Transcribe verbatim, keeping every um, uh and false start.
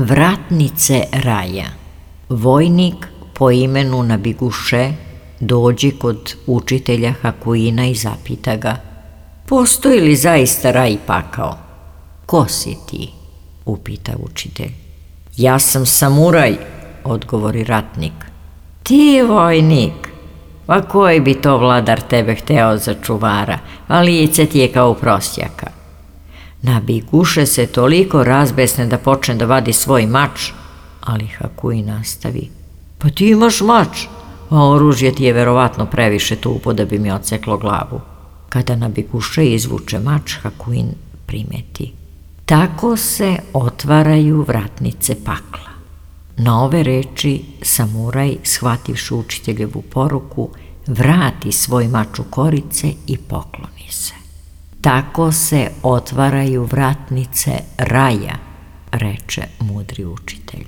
Vratnice raja. Vojnik po imenu Nabiguše dođe kod učitelja Hakuina i zapita ga: postoji li zaista raj i pakao? Ko si ti? Upita učitelj. Ja sam samuraj, odgovori ratnik. Ti vojnik? Pa koji bi to vladar tebe hteo za čuvara, a lice ti je kao prosjaka. Nabiguše se toliko razbesne da počne da vadi svoj mač, ali Hakuin nastavi. Pa ti imaš mač, a oružje ti je verovatno previše tupo da bi mi odseklo glavu. Kada Nabiguše izvuče mač, Hakuin primeti. Tako se otvaraju vratnice pakla. Na ove reči samuraj, shvativši učiteljevu poruku, vrati svoj mač u korice i pokloni se. Tako se otvaraju vratnice raja, reče mudri učitelj.